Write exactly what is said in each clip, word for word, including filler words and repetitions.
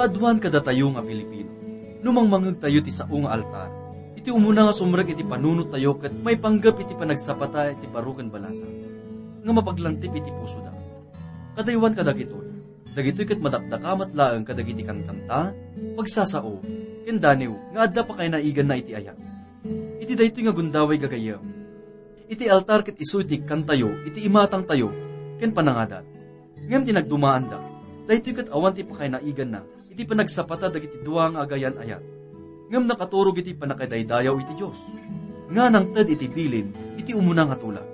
Aduan kadatayo nga Filipino, no mangmangngegtayo ti sao nga altar, iti umuna nga sumrek iti panunottayo ket maipanggep iti panagsapata iti baro ken balasang nga mapaglantip iti pusoda. Kadaywan kadagitoy, dagitoy ket madakdakamat laeng kadagiti kankanta, pagsasao, ken daniw nga adda pakaynaiganna iti ayat. Iti daytoy nga gundaway gagayyem, iti altar ket isu iti ikkantayo iti imatangtayo ken panangadat. Ngem ti nagdumaanda, daytoy ket awan ti pakaynaiganna iti panagsapata dagiti dua nga agayan-ayat. Ngem nakaturog iti pannakadaydayaw iti Dios, nga nangted iti bilin iti umuna nga tula,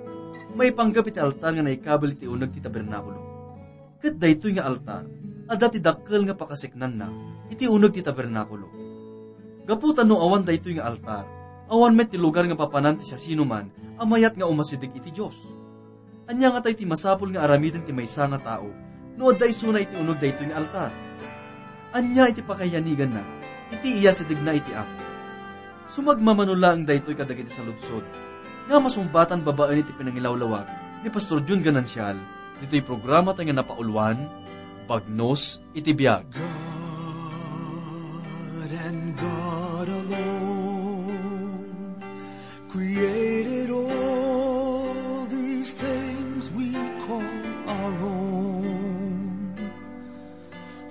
maipanggep iti altar nga naikabil iti uneg ti tabernakulo. Ket daytoy nga altar, adda ti dakkel nga pakaseknanna iti uneg ti tabernakulo. Gapu ta no awan daytoy nga altar, awan met ti lugar nga papanan ti siasinoman a mayat nga umasideg iti Dios. Ania ngata ti masapul nga aramiden ti maysa nga tao no adda isuna iti uneg daytoy nga altar? Ania iti pakaiyaniganna iti iyasidegna iti Apo? Sumagmamano laeng daytoy kadagiti saludsod nga masungbatan babaen iti pinangilawlawag ni Pastor Jun Ganancial ditoy programa tayo nga napauluan, Bagnos iti Biag. God and God alone created all these things we call our own.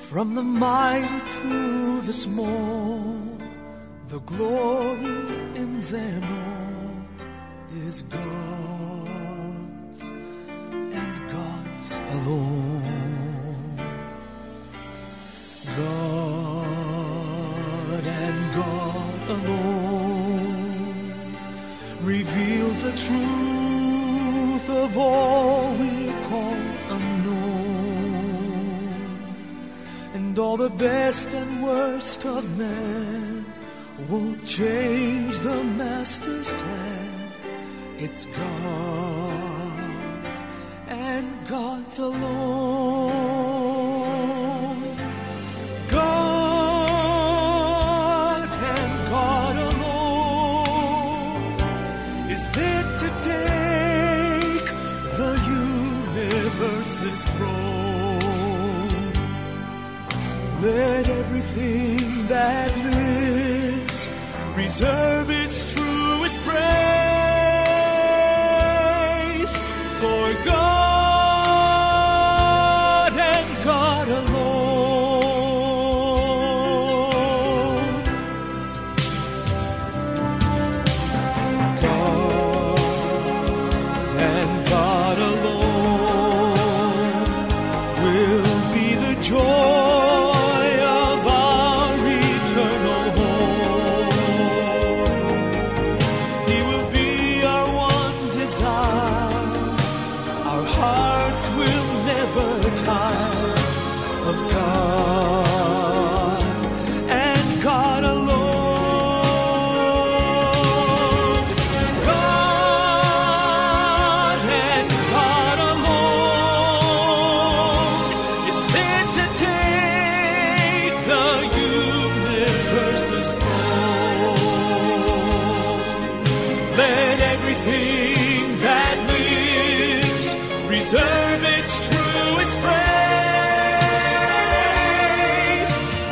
From the mighty to the small, the glory in them all is God's and God's alone. God and God alone reveals the truth of all we call unknown. And all the best and worst of men won't change the master's plan. It's God's and God's alone. God and God alone is fit to take the universe's throne. Let everything that lives reserve its truest praise for God and God alone. God and God alone will be the joy of our eternal home. He will be our one desire. Our hearts will never tire of God and God alone. God and God alone is fit to take the universe's throne. Let everything that lives reserve its truest praise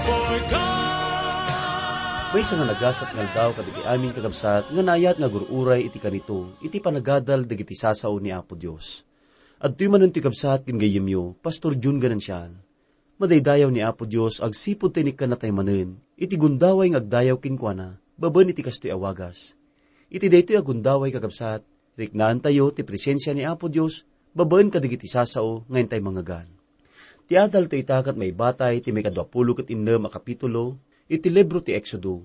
for God. Maysa nga nagasat nga aldaw kadagiti amin, kakabsat, nga naayat nga agur-uray iti kanito, iti panagadal dagiti sasao ni Apo Dios. Adtoy manen ti kabsat ken gayyemyo, Pastor Jun Ganancial. Madaydayaw ni Apo Dios agsipud ta inikkanna tayo manen iti gundaway nga agdayaw kenkuana babaen iti kastoy a wagas. Iti daytoy a gundaway, kakabsat, riknaantayo ti presensia ni Apo Dios babaen kadagiti sasao nga intay mangngegan. Ti adaltayo ita ket maibatay ti maikadua pulo ket innem a kapitulo iti libro ti Exodo,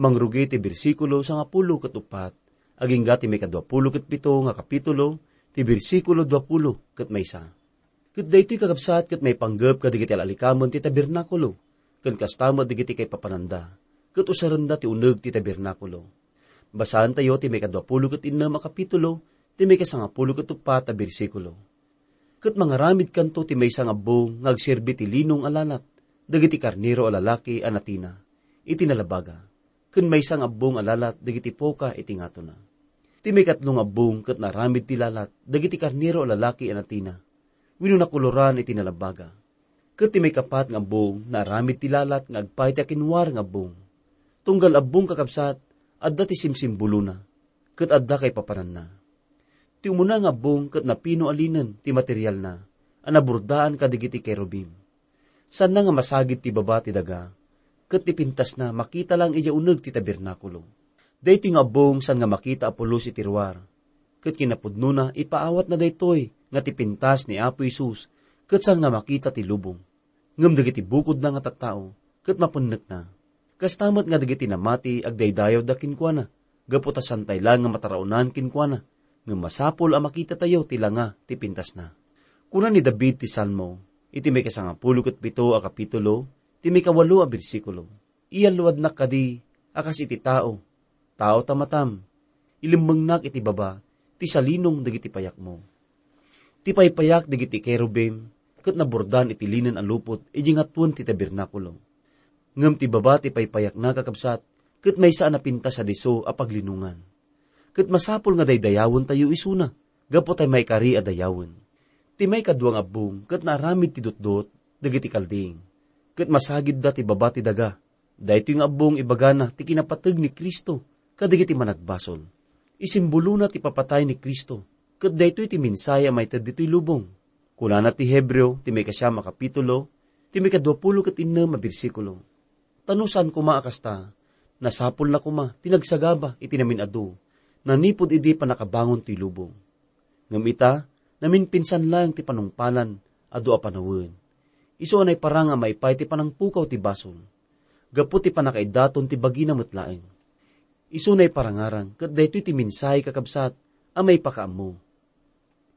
mangrugi ti bersikulo sangapulo ket uppat, agingga ti maikadua pulo ket pito nga kapitulo ti bersikulo dua pulo ket maysa. Ket daytoy, kakabsat, ket maipanggep kadagiti al-alikamen ti tabernakulo, ken kasta met dagiti kaipapananda, ket usarenda ti uneg ti tabernakulo. Basaentayo ti maikadua pulo ket innem a kapitulo, ti maikasangapulo ket uppat a bersikulo. Ket mangaramidkanto ti maysa nga abbong nga agserbi ti linong a lalat dagiti karnero a lalaki a natina iti nalabaga, ken maysa nga abbong a lalat dagiti poka iti ngatona. Ti maikatlo nga abbong ket naaramid ti lalat dagiti karnero a lalaki a natina wenno nakoloran iti nalabaga. Ket ti maikapat nga abbong, naaramid ti lalat nga agpay ti akinwar nga abbong. Tunggal abbong, kakabsat, adda ti simsimbolona, ket adda kaipapananna. Ti umuna nga abbong ket napino a linen ti materialna a nabordaan kadagiti kerubim. Saanna nga masagid ti baba ti daga, ket ti pintasna makita laeng idiay uneg ti tabernakulo. Daytoy nga abbong saan nga makita a pulos iti ruar, ket kinapudnona ipaawatna daytoy nga ti pintas ni Apo Jesus ket saan nga makita ti lubong. Ngem dagiti bukodna nga tattao ket mapennekna. Kasta met nga dagiti namati agdaydayawda kenkuana, gapu ta saantay laeng nga mataraonan kenkuana, ngem masapul a makitatayo ti langa ti pintasna. Kuna ni David ti Salmo, iti maikasangapulo ket pito a kapitulo, ti maikawalo a bersikulo, "Iyalluadnak kadi a kas iti tao, tao ta matam, ilemmengnak iti baba ti salinong dagiti payakmo." Ti paypayak dagiti kerubim ket nabordaan iti linen a lupot idiay ngatoen ti tabernakulo. Ngem ti baba ti paypayakna, kakabsat, ket maysa a napintas a disso a paglinongan. Ket masapul nga daydayawentayo isuna, gapu ta maikari a dayawen. Ti maikadua nga abbong ket naaramid ti dutdot dagiti Kalding, ket masagidda ti baba ti daga. Daytoy nga abbong ibagana ti kinapateg ni Cristo kadagiti managbasol. Isimbolona ti papatay ni Cristo, ket daytoy ti mensahe a maited ditoy lubong. Kunana ti Hebreo, ti maikasiam a kapitulo, ti maikaduapulo ket innem a bersikulo, "Ta no saan koma a kasta, nasapulna koma ti nagsagaba iti namin-adu, nanipud idi pannakabangon toy lubong." Ngem ita, naminpinsan laeng ti panungpalan, adu a panawen. Isu a naiparang a maipay ti panangpukaw ti basol, gapu ti pannakaiddaton ti bagina met laeng. Isu naiparangarang ket daytoy ti mensahe, kakabsat, a maipakaammo.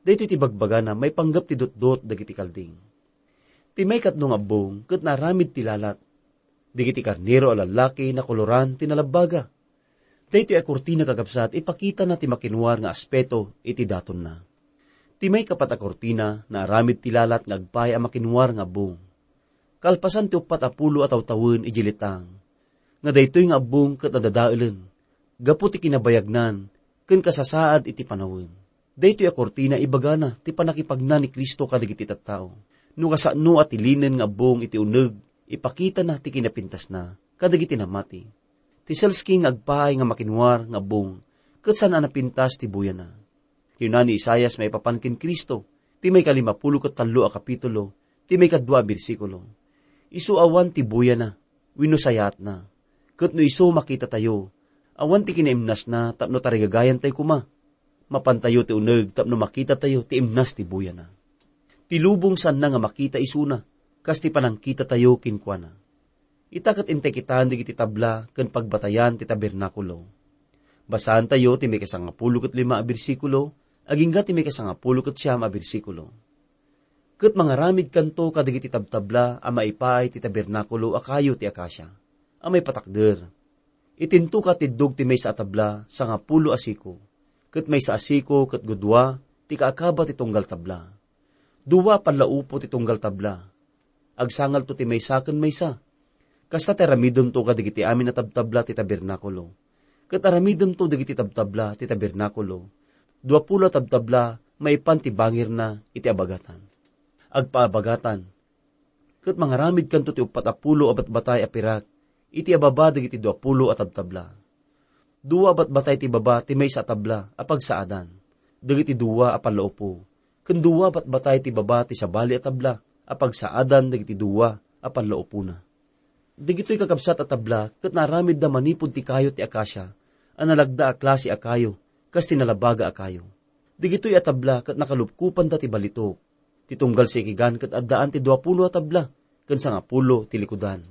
Daytoy ti bagbagana maipanggep ti dutdot dagiti Kalding. Ti maikatlo nga abbong ket naaramid ti lalat. Dagiti karnero a lallaki nakoloran ti nalabbaga. Daytoy a kurtina, kakabsat, ipakitana ti makinwar nga aspeto iti datonna. Ti maikapat a kurtina naaramid ti lalat nga agpay a makinwar nga abbong. Kalpasan ti uppat a pulo a tawtawen idiay letang, nga daytoy nga abbong ket nadadaelen gapu ti kinabayagnan ken kasasaad iti panawen. Daytoy a kurtina ibagana ti pannakipagna ni Cristo kadagiti tattao. No kasano a ti linen nga abbong iti uneg, ipakitana ti kinapintasna kadagiti namati. Ti selskin nga agpaay nga makinwar nga abbong ket saan a napintas ti buyana. Kinuna ni Isaias maipapan ken Cristo, ti maikalimapulo ket tallo a kapitulo, ti maikadua a bersikulo, "Isu awan ti buyana wenno sayaatna. Ket no isu makitatayo, awan ti kinaimnasna tapno tarigagayantayo koma. Mapantayo ti uneg tapno makitatayo ti imnas ti buyana." Ti lubong saanna nga makita isuna, kas ti panangkitatayo kenkuana. Ita ket intay kitaen dagiti tabla ken pagbatayan ti tabernakulo. Basaantayo ti maikasangapulo ket lima a bersikulo agingga ti maikasangapulo ket siam a bersikulo. Ket mangaramidkanto kadagiti tabtabla a maipaay ti tabernakulo a kayo ti akasia a maipatakder. Itinto katiddog ti maysa a tabla sangapulo a siko, ket maysa a siko ket gudua ti kaakaba ti tunggal tabla. Dua a pallaupo ti tunggal tabla. Agsangalto ti maysa ken maysa. Kasta ti aramidemto kadagiti amin a tabtabla ti tabernakulo. Ket aramidemto dagiti tabtabla ti tabernakulo, duapulo a tabtabla maipan ti bangirna iti abagatan. Agpaabagatan. Ket mangaramidkanto ti uppat a pulo a batbatay a pirak iti ababa dagiti duapulo a tabtabla. Dua a batbatay ti baba ti maysa a tabla a pagsaadan dagiti dua a pallaupo, ken dua a batbatay ti baba ti sabali a tabla a pagsaadan dagiti dua a pallaupona. Dagitoy kakabsat a tabla ket naaramidda manipud ti kayo ti akasia a nalagda a klase a kayo kas ti nalabaga a kayo. Dagitoy a tabla ket nakalupkopanda ti balitok. Ti tunggal sikigan ket addaan ti duapulo a tabla ken sangapulo ti likudan.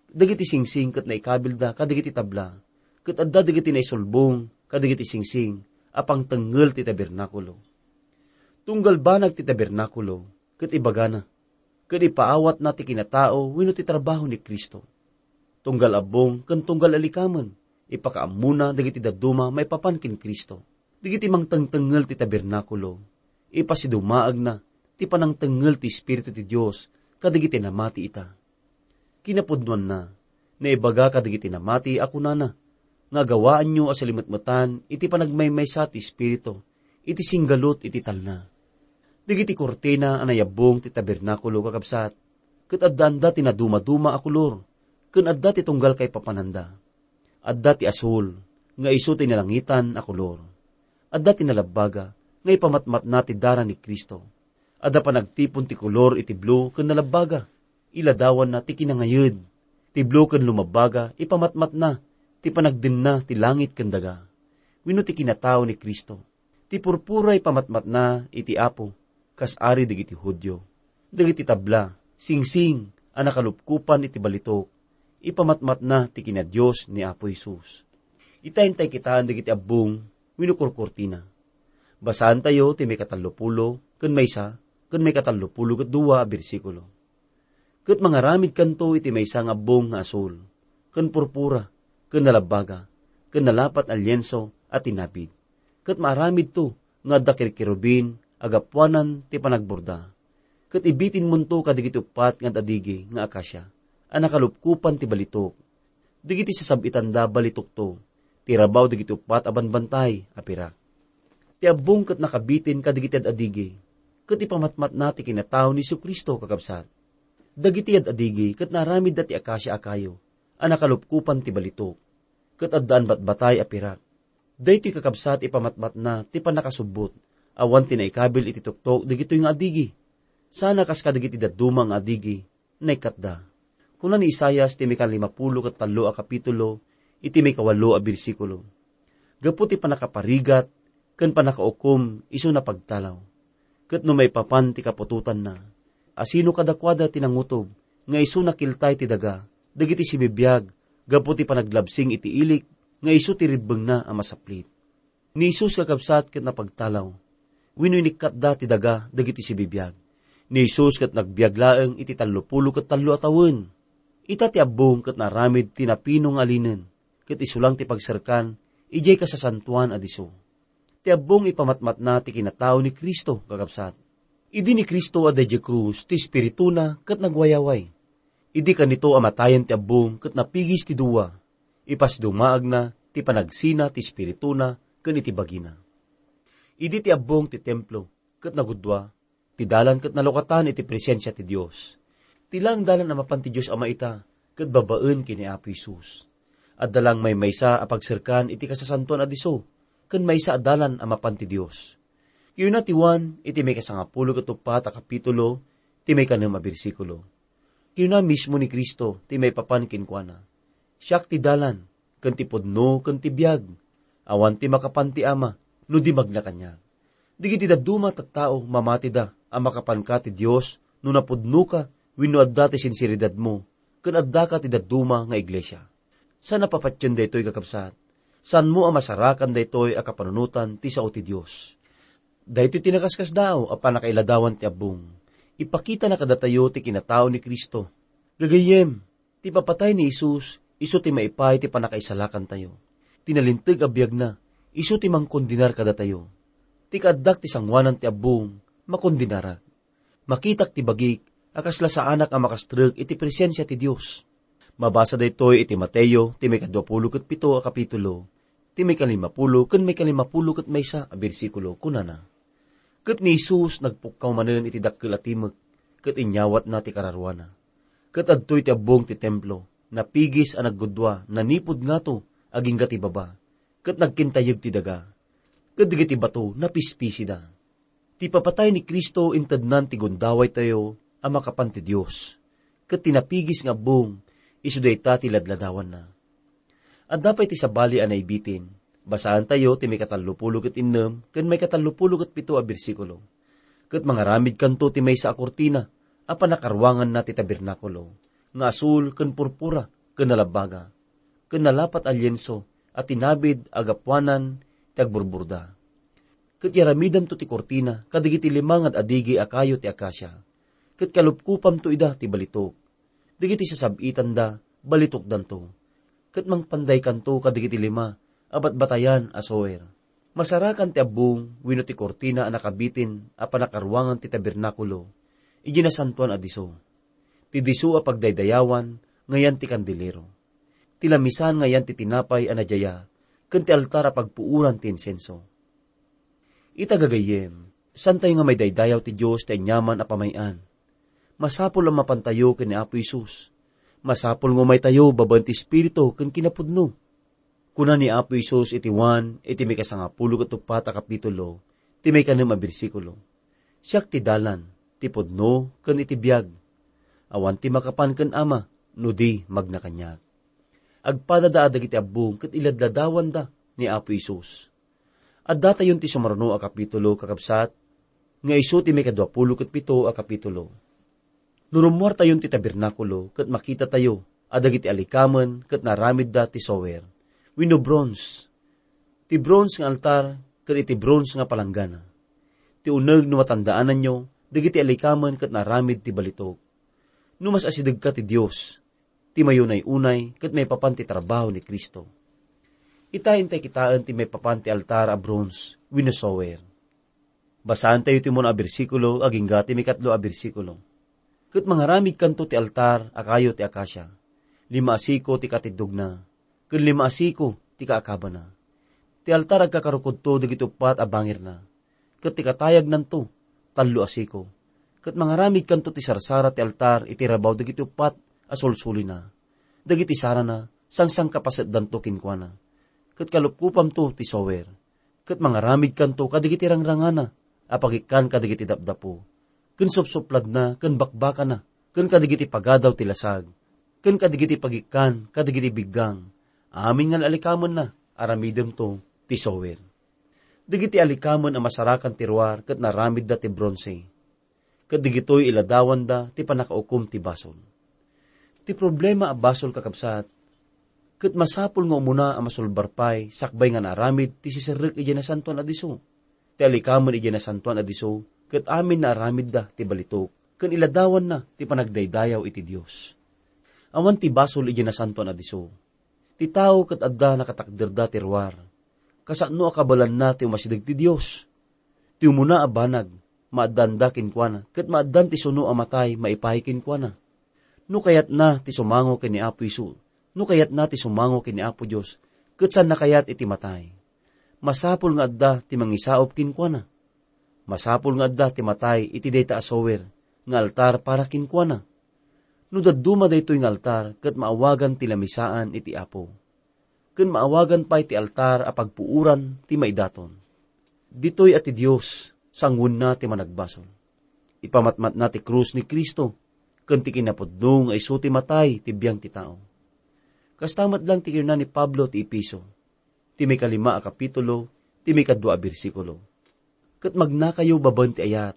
Dagiti singsing ket naikabilda kadagiti tabla, ket adda dagiti naisulbong kadagiti singsing a pangtengngel ti tabernakulo. Tunggal banag ti tabernakulo ket ibagana, ket ipaawatna ti kinatao wenno ti trabaho ni Cristo. Tunggal abbong ken tunggal alikamen, ipakaammona dagiti dadduma maipapan ken Cristo. Dagiti mangtengtengngel ti tabernakulo, ipasidumaagna ti panangtengngel ti Espiritu ti Dios kadagiti namati ita. Kinapudnoanna, naibaga kadagiti namati a kunana, nga agawaanyo a salimetmetan iti panagmaymaysa ti Espiritu iti singgalut iti talna. Dagiti kurtina a nayabbong ti tabernakulo, kakabsat, ket addaanda ti nadumaduma a kolor, ken adda ti tunggal kaipapananda. Adda ti asul, nga isu ti nalangitan a kolor. Adda ti nalabbaga, nga ipamatmatna ti dara ni Cristo. Adda panagtipon ti kolor iti blue ken nalabbaga. Iladawanna ti kinangayed. Ti blue ken lumabbaga, ipamatmatna ti panagdenna ti langit ken daga. Wenno ti kinatao ni Cristo. Ti purpura ipamatmatna iti Apo, kas ari dagiti Judio. Dagiti tabla, singsing a nakalupkopan iti balitok, ipamatmatna ti kinadios ni Apo Jesus. Ita intay kitaen dagiti abbong wenno kurkurtina. Basaantayo ti maikatallopulo ken maysa ken maikatallopulo ket dua a bersikulo. Ket mangaramidkanto iti maysa nga abbong nga asul, ken purpura, ken nalabbaga, ken nalapat a lienso a tinapid. Ket maaramidto nga adda kirkerubin a gapuanan ti panagburda. Ket ibitinmonto kadagiti uppat nga ad-adigi nga akasia a nakalupkopan ti balitok. Dagiti sasab-itanda balitokto, ti rabaw dagiti uppat a banbantay a pirak. Ti abbong ket nakabitin kadagiti ad-adigi, ket ipamatmatna ti kinatao ni Jesu-Cristo, kakabsat. Dagiti ad-adigi ket naaramidda ti akasia a kayo a nakalupkopan ti balitok, ket addaan batbatay a pirak. Daytoy, kakabsat, ipamatmatna ti pannakasubbot, awan ti naikabil iti tuktok dagitoy nga adigi. Sana kas kadagiti dadduma nga adigi, naikkatda. Kuna ni Isaias ti maikalimapulo ket tallo a kapitulo, iti maikawalo a bersikulo, "Gapu ti pannakaparigat ken pannakaukom, isu napagtalaw. Ket no maipapan ti kaputotanna, asino kadakuada ti nangutob nga isu nakiltay ti daga dagiti sibibiag gapu ti panaglabsing iti ilik nga isu ti ribbengna a masaplit?" Ni Jesus, kakabsat, ket napagtalaw. Wenno inikkatda ti daga dagiti sibibiag. Ni Jesus ket nagbiag laeng iti tallopulo ket tallo a tawen. Ita ti abbong ket naaramid ti napino nga alinen, ket isu lang ti pagserkan idiay kasasantoan a disso. Ti abbong ipamatmatna ti kinatao ni Cristo, kakabsat. Idi ni Cristo adda idiay krus, ti espirituna ket nagwayaway. Idi kanito a matayen ti abbong ket napigis ti dua, ipasdumaagna ti panagsina ti espirituna ken iti bagina. Idi ti abbong ti templo ket nagudua, ti dalan ket nalukatan iti presensia ti Dios. Ti laeng dalan a mapan ti Dios Ama ita ket babaen ken ni Apo Jesus. Adda laeng maymaysa a pagserkan iti kasasantoan a disso ken maysa a dalan a mapan ti Dios. Kiuna ti Juan iti maikasangapulo ket uppat a kapitulo, ti maikanem a bersikulo. Kinuna mismo ni Cristo ti maipapan kenkuana, "Siak ti dalan, ken ti pudno, ken ti biag. Awan ti makapan ti Ama, no di magna kaniak." Dagiti dadduma a tattao, mamatida a makapanka ti Dios no napudnoka wenno adda ti sinseridadmo ken addaka ti dadduma nga iglesia. Saan a papatien daytoy, kakabsat. Saanmo a masarakan daytoy a kapanunotan ti sao ti Dios. Daytoy ti nakaskasdaaw a pannakailadawan ti abbong. Ipakitana kadatayo ti kinatao ni Cristo. Gagayyem, ti ipapatay ni Jesus, isu ti maipaay ti pannakaisalakantayo. Ti nalinteg a biagna, isu ti mangkondenar kadatayo. Ti kaaddak ti sangoanan ti abbong, makondenarak. Makitak ti bagik a kasla saanak a makastrek iti presensia ti Dios. Mabasa daytoy iti Mateo, ti maikaduapulo ket pito a kapitulo, ti maikalimapulo ken maikalimapulo ket maysa a bersikulo. Kunana, "Ket ni Jesus nagpukkaw manen iti dakkel a timek, ket inyawatna ti kararuana. Ket adtoy ti abbong ti templo, napigis a naggudua, nanipud ngato agingga ti baba, ket nagkintayeg ti daga, ket dagiti bato napispisida." Ti ipapatay ni Cristo intednan ti gundawaytayo a makapan ti Dios, ket ti napigis nga abbong, isu dayta ti ladladawanna. Adda pay ti sabali a naibitin. Basaantayo ti maikatallopulo ket innem ken maikatallopulo ket pito a bersikulo. "Ket mangaramidkanto ti maysa a kurtina a pannakaruanganna ti tabernakulo, nga asul ken purpura ken nalabbaga, ken nalapat a lienso a tinabid a gapuanan ti agburburda. Ket iaramidamto ti kurtina kadagiti lima nga ad-adigi a kayo ti akasia, ket kalupkopamto ida ti balitok. Dagiti sasab-itanda, balitokdanto. Ket mangpandaykanto kadagiti lima a batbatayan a soer. Masarakan ti abbong wenno ti kurtina a nakabitin a pannakaruangan ti tabernakulo, idiay nasantoan a disso. Ti disso a pagdaydayawan nga yan ti kandelero. Ti lamisan nga yan ti tinapay a nadiaya, ken ti altar a pagpuoran ti insenso." Ita, gagayyem, saantayo nga maidaydayaw ti Dios ti aniaman a pamay-an. Masapul a mapantayo ken ni Apo Jesus. Masapul nga umaytayo babaen ti Espiritu ken kinapudno. Kuna ni Apo Jesus iti Juan iti maikasangapulo ket uppat a kapitulo, ti maikanem a bersikulo, "Siak ti dalan, ti pudno, ken iti biag. Awan ti makapan ken Ama, no di magna kaniak." Agpadada dagiti abbong ket iladladawanda ni Apo Jesus. Addatayon ti sumaruno a kapitulo, kakabsat, nga isu ti maikaduapulo ket pito a kapitulo. No rummuartayon ti tabernakulo ket makitatayo a dagiti alikamen ket naaramidda ti sower wenno bronze. Ti bronze nga altar ken iti bronze nga palanggana. Ti uneg no matandaananyo, dagiti alikamen ket naaramid ti balitok. No mas asidegka ti Dios, ti mayunay-unay ket maipapan ti trabaho ni Cristo. Ita intay kitaen ti maipapan ti altar a bronze wenno sower. Basaantayo ti umuna a bersikulo agingga ti maikatlo a bersikulo. "Ket mangaramidkanto ti altar a kayo ti akasia, lima a siko ti katiddogna, ken lima a siko ti kaakabana. Ti altar agkakarukodto dagiti uppat a bangirna, ket ti katayagnanto, tallo a siko. Ket mangaramidkanto ti sarsara ti altar iti rabaw dagiti uppat a sulsulina. Dagiti sarana, sangsangkapasetdanto kenkuana. Ket kalupkupamto ti sower. Ket mangaramidkanto kadagiti rangrangana a pagikkan kadagiti dapdapo, ken supsupladna, ken bakbakana, ken kadagiti pagadaw ti lasag, ken kadagiti pagikkan kadagiti biggang. Amin nga alikamenna, aramidemto ti sower." Dagiti alikamen a masarakan ti ruar ket naaramidda ti bronze. Ket dagitoy iladawanda ti pannakaukom ti basol. Ti problema a basol, kakabsat, ket masapul nga umuna a masulbar pay sakbay nga naaramid ti siserrek idiay Nasantoan a Disso. Ti alikamen idiay Nasantoan a Disso ket amin naaramidda ti balitok ken iladawanna ti panagdaydayaw iti Dios. Awan ti basol idiay Nasantoan a Disso. Ti tao ket adda nakatakderda ti ruar. Kasano a kabaelanna ti umasideg ti Dios? Ti umuna a banag, maaddaanda kenkuana, ket maaddan ti suno a matay maipaay kenkuana. No kayatna ti sumango ken ni Apo Jesu, no kayatna ti sumango ken ni Apo Dios, ket saanna kayat iti matay, masapul nga adda ti mangisaup kenkuana. Masapul nga adda ti matay iti dayta a sower nga altar para kenkuana. No dadduma daytoy nga altar, ket maawagan ti lamisaan iti Apo, ken maawagan pay ti altar a pagpuoran ti maidaton. Ditoy a ti Dios, sanguenna ti managbasol. Ipamatmatna ti krus ni Cristo, ken ti kinapudno nga isu ti matay ti biang ti tao. Kasta met lang ti kinuna ni Pablo ti Efeso, ti maikalima a kapitulo, ti maikadua a bersikulo. Ket magnakayo babaen ti ayat,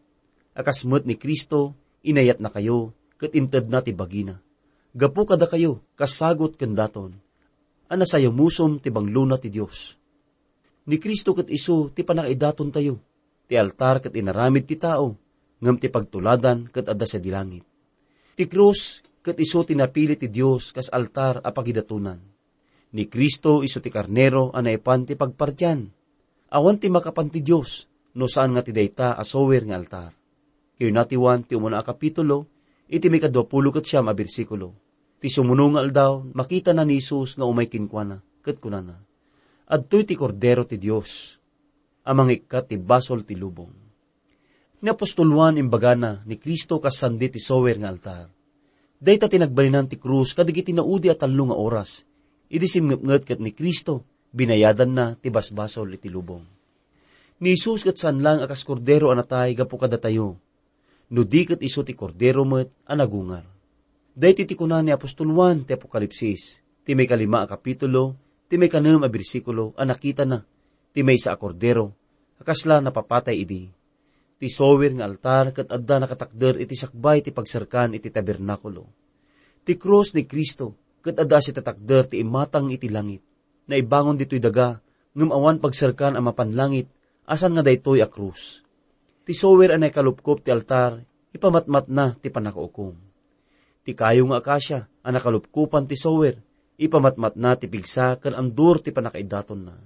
a kas met ni Cristo, inayatnakayo, ket intedna ti bagina. Gapu kadakayo, kas sagut ken daton, a nasayamusom ti banglona ti Dios. Ni Cristo ket isu ti pannakaidatontayo. Ti altar ket inaramid ti tao, ngem ti pagtuladan ket adda sadi langit. Ti krus ket isu ti napili ti Dios kas altar a pagidatonan. Ni Cristo isu ti karnero a naipan ti pagpartian. Awan ti makapan ti Dios no saan nga ti dayta a sower nga altar. Kinuna ti Juan ti umuna a kapitulo, iti maikaduapulo ket siam a bersikulo. Ti sumuno nga aldaw, makitana ni Jesus nga umay kenkuana, ket kunana, "Adtoy ti Kordero ti Dios, a mangikkat ti basol ti lubong." Ni apostol Juan imbagana ni Cristo kas sandi ti sower nga altar. Dayta ti nagbalinan ti krus kadagiti naudi a tallo nga oras. Idi simngepnget ket ni Cristo, binayadanna ti basbasol iti lubong. Ni Jesus ket saan lang a kas kordero a natay gapu kadatayo, no di ket isu ti kordero met a nagungar. Daytoy ti kuna ni apostol Juan ti Apokalipsis, ti maikalima a kapitulo, ti maikanem a bersikulo, a nakitana ti maysa a kordero a kasla napapatay idi. Ti sower nga altar ket adda nakatakder iti sakbay ti pagserkan iti tabernakulo. Ti krus ni Cristo ket adda a sitatakder ti imatang iti langit. Naibangon ditoy daga, ngem awan pagserkan a mapan langit, a saan nga daytoy a krus. Ti sower a naikalupkop ti altar, ipamatmatna ti pannakaukom. Ti kayo nga akasia a nakalupkopan ti sower, ipamatmatna ti pigsa ken andur ti pannakaiddatonna.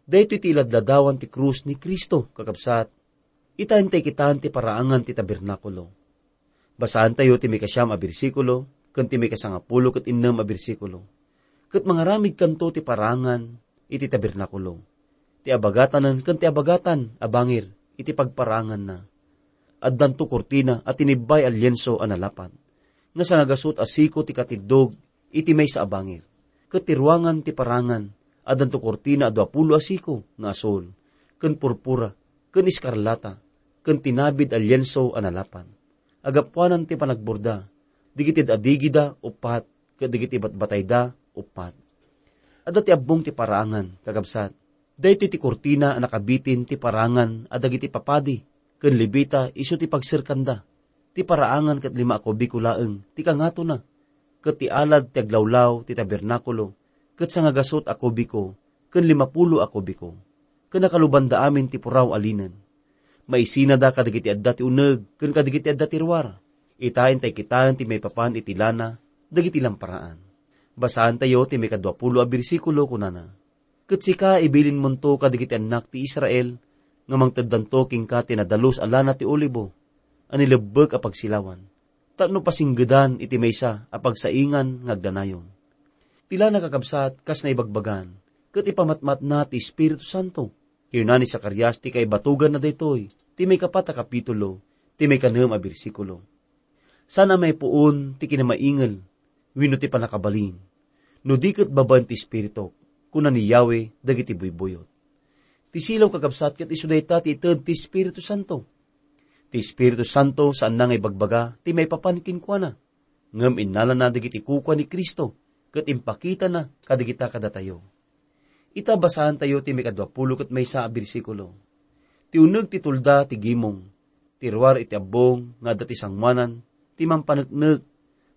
Daytoy ti iladladawan ti krus ni Cristo, kakabsat. Ita intay kitaan ti paraangan ti tabernakulo. Basaantayo ti maikasiam a bersikulo ken ti maikasangapulo ket innem a bersikulo. Ket mangaramidkanto ti paraangan iti tabernakulo, ti abagatanen ken ti abagatan a bangir iti pagparaanganna. addanto kurtina a tinibbay a lienso a nalapat, nga sangagasut a siko ti katiddog iti maysa a bangir. Ket ti ruangan ti parangan, addanto kurtina a duapulo a siko nga asul, ken purpura, ken eskarlata, ken tinabid a lienso a nalapat. Agapuanan ti panagborda, dagiti ad-adigida uppat, ket dagiti batbatayda uppat. Adda ti abbong ti parangan, kakabsat. Daytoy ti kurtina a nakabitin ti parangan a dagiti papadi ken Levita isu ti pagserkanda. Ti paraangan ket lima a kubiko laeng ti kangatona, ket ti alad ti aglawlaw ti tabernakulo ket sangagasut a kubiko ken limapulo a kubiko, ken nakalubanda amin ti puraw a linen. Maisinada kadagiti adda ti uneg ken kadagiti adda ti ruar. Ita intay kitaen ti maipapan iti lana dagiti lamparaan. Basaantayo ti maikaduapulo a bersikulo, kunana, "Ket sika, ibilinmonto kadagiti annak ti Israel nga mangteddanto kenka ti nadalus a lana ti olibo a nilebbek a pagsilawan, tapno pasinggedan iti maysa a pagsaingan nga agdanayon." Ti lana, kakabsat, kas naibagbagan, ket ipamatmatna ti Espiritu Santo. Kinuna ni Zacarias ti kaibatuganna daytoy, ti maikapat a kapitulo, ti maikanem a bersikulo. Saan a maipuon ti kinamaingel wenno ti pannakabalin, no di ket babaen ti Espirituk, kuna ni Yahweh dagiti buybuyot. Ti silaw, kakabsat, ket isu dayta ti ited ti Espiritu Santo. Ti Espiritu Santo saanna nga ibagbaga ti maipapan kenkuana, ngem innalana dagiti kukua ni Cristo ket impakitana kadagita kadatayo. Ita, basaantayo ti maikaduapulo ket maysa a bersikulo. Ti uneg ti tulda ti gimong, ti ruar iti abbong nga adda ti sangoanan ti mampaneknek,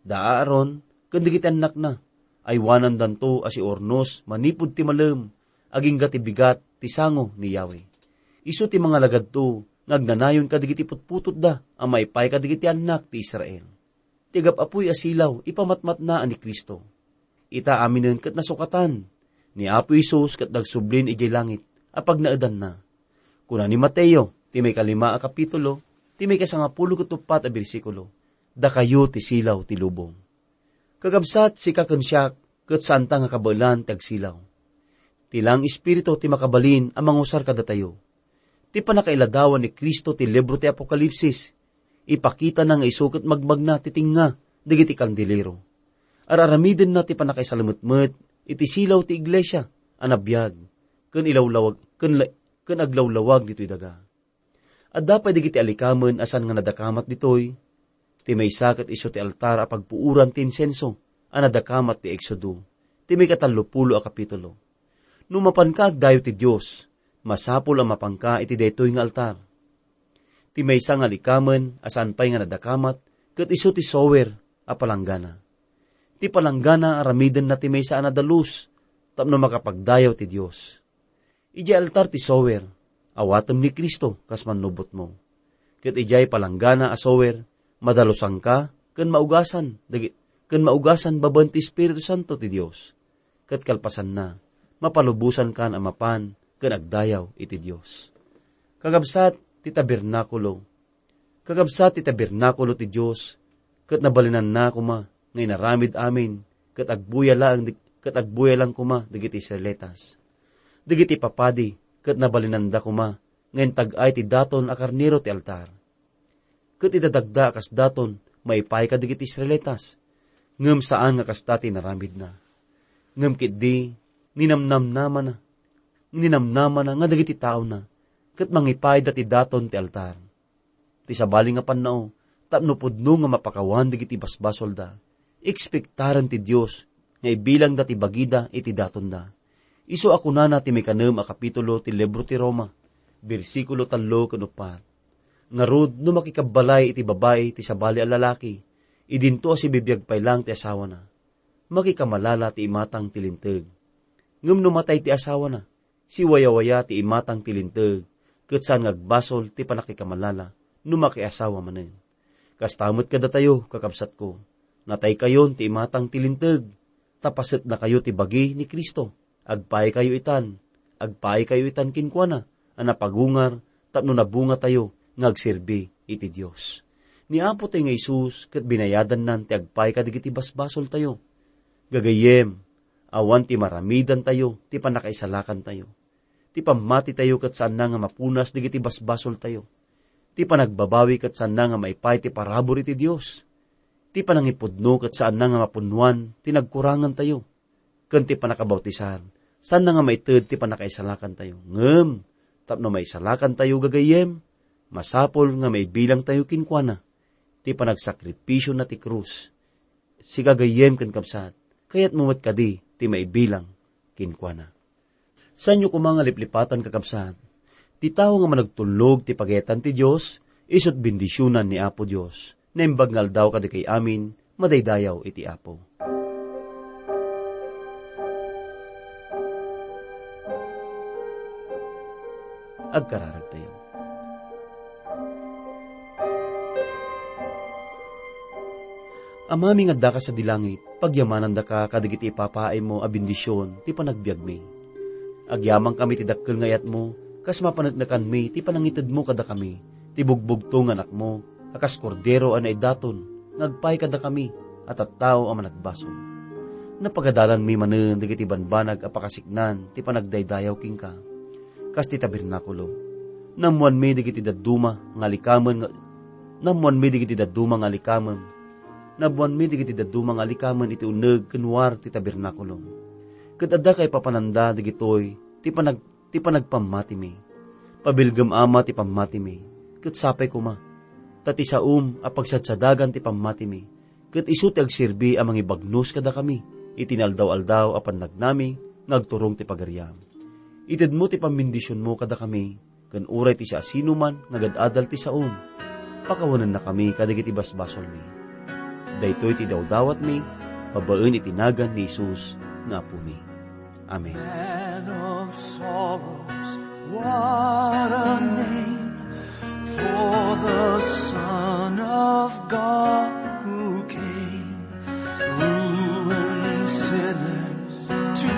da Aaron ken dagiti annakna, aywanandanto a siurnos manipud ti malem, agingga ti bigat ti sango ni Yahweh. Isu ti mangalagadto nga agnanayon kadagiti putputotda a maipaay kadagiti annak ti Israel. Ti agap-apuy a silaw, ipamatmatna a ni Cristo. Ita aminen ket nasukatan. Ni Apo Jesus ket nagsublin idiay langit a pagnaedanna. Kuna ni Mateo, ti maikalima a kapitulo, ti maikasangapulo ket uppat a bersikulo, "Dakayo ti silaw ti lubong." Kakabsat, sika ken siak, ket saanta nga kabaelan ti agsilaw. Ti laeng Espiritu ti makabalin a mangusar kadatayo. Ti pannakailadawan ni Cristo ti libro ti Apokalipsis, ipakitana nga isu ket magmagna ti tengnga dagiti kandelero. Ar-aramidenna ti pannakaisalametmet iti silaw ti iglesia a nabiag, ken ilawlawag, ken la-, ken aglawlawag ditoy daga. Adda pay dagiti alikamen a saan nga nadakamat ditoy. Ti maysa ket isu ti altar a pagpuoran ti insenso a nadakamat ti Exodo, ti maikatallopulo a kapitulo. No mapanka agdayaw ti Dios, masapul a mapanka iti daytoy nga altar. Ti maysa nga alikamen a saan pay nga nadakamat ket isu ti sower a palanggana. Ti palanggana, aramidenna ti maysa a nadalus tapno makapagdayaw ti Dios. Idiay altar ti sower, awatem ni Cristo kas mannubotmo. Ket idiay palanggana a sower, madalusanka ken maugasan, dagi-, ken maugasan babaen ti Espiritu Santo ti Dios. Ket kalpasanna, mapalubosankan a mapan ken agdayaw iti Dios. Kakabsat, ti tabernakulo. Kakabsat, ti tabernakulo ti Dios, ket nabalinanna koma nga inaramid amin, ket agbuya laeng di-, ket agbuya laeng koma dagiti Israelitas. Dagiti papadi ket nabalinanda koma nga intag-ay ti daton a karnero ti altar. Ket idadagda a kas daton maipaay kadagiti Israelitas, ngem saan nga kasta ti inaramidna. Ngem ketdi, ninamnamnamana, ninamnamana nga dagiti taona ket mangipaayda ti daton ti altar. Ti sabali nga pannao, tapno pudno nga mapakawan dagiti basbasolda, ekspektaren ti Dios nga ibilangda ti bagida iti datonda. Isu a kunana ti maikanem a kapitulo ti libro ti Roma, bersikulo tallo ken uppat, "Ngarud, no makikabbalay iti babai ti sabali a lalaki, idinto a sibibiag pay laeng ti asawana. Makikamalala ti imatang ti linteg. Ngem no matay ti asawana, siwayawaya ti imatang ti linteg, ket saan nga agbasol ti pannakikamalala no makiasawa manen. Kasta met kadatayo, kakabsatko, nataykayon ti imatang ti linteg, ta pasetnakayo ti bagi ni Cristo. Agpaaykayo itan, agpaaykayo itan kenkuana a napagungar tapno nabungatayo nga agserbi iti Dios." Ni Apotayo nga Jesus ket binayadannan ti agpaay kadagiti basbasoltayo. Gagayyem, awan ti maramidantayo ti pannakaisalakantayo. Ti pammatitayo ket saanna nga mapunas dagiti basbasoltayo. Ti panagbabawi ket saanna nga maipaay ti parabur iti Dios. Ti panangipudno ket saanna nga mapunnoan ti nagkurangantayo. Ken ti pannakabautisan, saanna nga maited ti pannakaisalakantayo. Ngem, tapno maisalakantayo, gagayyem, masapul nga maibilangtayo kenkuana ti panagsakripisio na ti krus. Sika, gayyem ken kabsat, kayatmo met kadi ti maibilang kenkuana. Saanyo koma nga liplipatan, kakabsat. Ti tao nga managtulnog ti pagayatan ti Dios, isu't bendisionan ni Apo Dios. Naimbag nga aldaw kadakay amin, madaydayaw iti Apo. Agkararagtayo. Amami nga addaka sadi langit, pagyamanandaka kadagiti ipapaaymo a bendision ti panagbiagmi. Agyamankami ti dakkel nga ayatmo, kas mapaneknekanmi ti panangitedmo kadakami, ti bugbugto nga anakmo, a kas kordero a naidaton, nga agpaay kadakami a tattao a managbasol. Napagadalanmi manen dagiti banbanag a pakasiknan ti panagdaydayaw kenka, kas ti tabernakulo. Naammoanmi dagiti dadduma nga alikamen nga, naammoanmi dagiti dadduma nga alikamen. Naammoanmi dagiti dadduma nga alikamen iti uneg ken war ti tabernakulo. Ket adda kaipapananda dagitoy ti panag-, ti panagpammatimi. Pabilgem, Ama, ti pammatimi, ket sapay koma. Ta ti saom a pagsadsadagan ti pammatimi, ket isu ti agserbi a mangibagnos kadakami iti naaldaw-aldaw a pannagnami nga agturong ti pagariam. Itedmo ti pammendisionmo kadakami, ken uray ti siasinoman nga agad-adal ti saom, pakawanennakami kadagiti basbasolmi. Daytoy ti dawdawatmi babaen iti nagan ni Jesus nga Apomi. Amen. Man of sorrows, what a name for the Son of God who came, ruined sinners to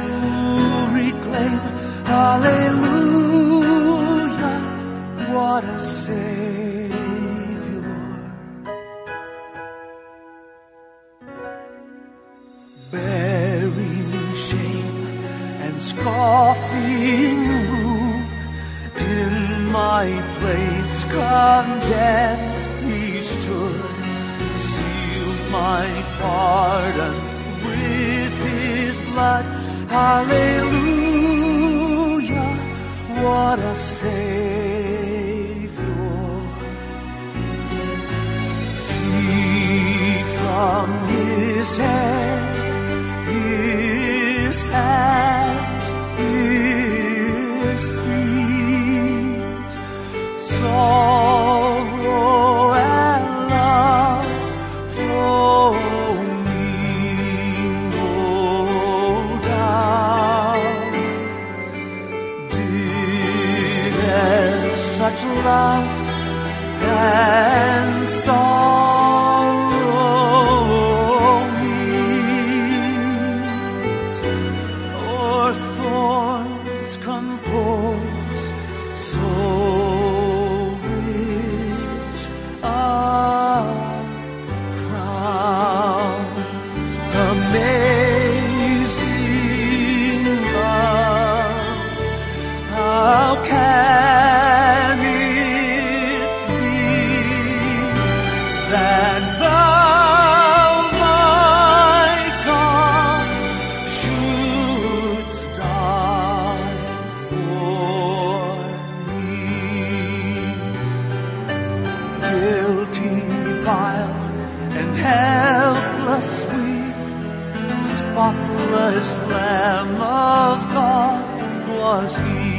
reclaim. Hallelujah, what a Savior. Bearing shame and scoffing rude, in my place condemned he stood, sealed my pardon with his blood. Hallelujah, what a Savior. See from his head, his hands, his feet, sorrow and love flowing, no doubt. Did e'er such love than sorrow meet, or thorns compose so rich a crown. Amazing love, how can it be that thou, my God, shouldst die for me? Guilty, vile, and helpless we, spotless Lamb of God was he.